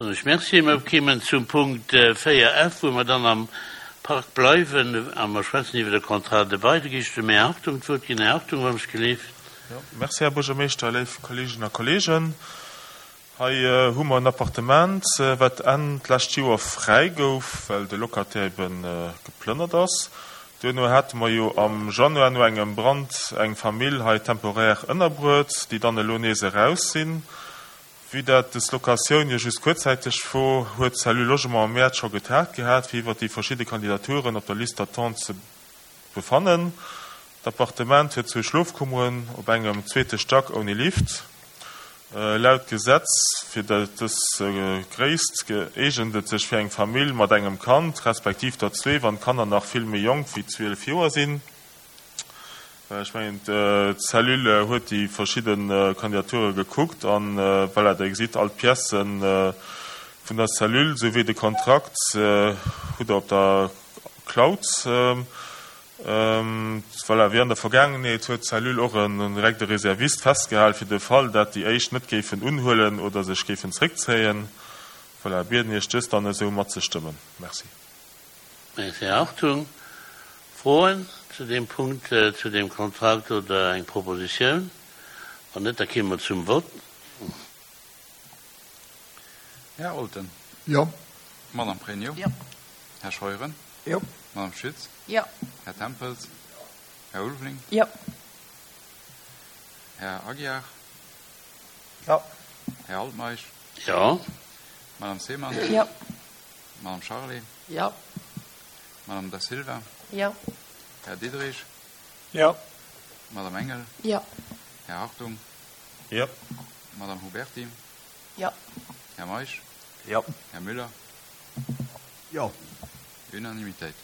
Ech Merci. Mer kéimen zum Punkt 4 F, wou mer dann am Park bleiwen a mer schwätzen iwwer de Contrat de bail. Da gi ech dem Här Hartung d'Wuert ginn. Här Hartung, wann ech gelift. Jo, merci, Här Buergermeeschter, léif Kolleeginnen a Kolleegen. Hei hu mer en Appartement, wat Enn d'lescht Joer fräi gouf, well de Locataire ebe geplënnert ass. Duerno hate mer jo am Januar no engem Brand eng Famill hei temporaire ënnerbruet, déi dann elo nees eraus sinn. Vue dat des Locatioun jo just kuerzzäiteg wor, huet d'Cellule Logement am Mäerz scho getagt gehat, fir iwwert déi verschidde Kandidaturen op der Liste d'attente ze befannen. D'Appartement huet zwou Schlofkummeren op engem zweete Stack ouni Lift. Laut Gesetz fir dës Gréisst eegent et sech fir eng Famill mat engem Kand, respektiv der zwee, wann d'Kanner nach vill méi jonk wéi 12 Joer sinn. Ech mengen, d'Cellule huet déi verschidde Kandidature gekuckt an, voilà, Dir gesitt all d'Piècë vun der Cellule souwéi de Kontrakt hutt Der op der Cloud. Voilà, wéi an der Vergaangenheet huet d'Cellule och en direkt e Reservist festgehal fir de Fall, dat déi éischt net géifen unhuelen oder sech géifen zréckzéien. Voilà, bieden Iech dëst dann esou matzestëmmen. Merci. Merci, Här Hartung. Froen zu deem Punkt, zu deem Kontrakt oder eng Propositioun? Wann net, da kéime mer zum Vott. Här Olten. Jo. Madame Pregno. Jo. Här Scheuren. Jo. Madame Schütz. Jo. Här Tempels. Här Ulveling. Jo. Här Aguiar. Jo. Här Altmeisch. Jo. Madame Seemann. Jo. Madame Charlé. Jo. Madame Da Silva. Jo. Här Diderich. Jo. Madame Engel. Jo. Här Hartung. Jo. Madame Huberty. Jo. Här Meisch. Jo. Här Müller. Jo. Unanimitéit.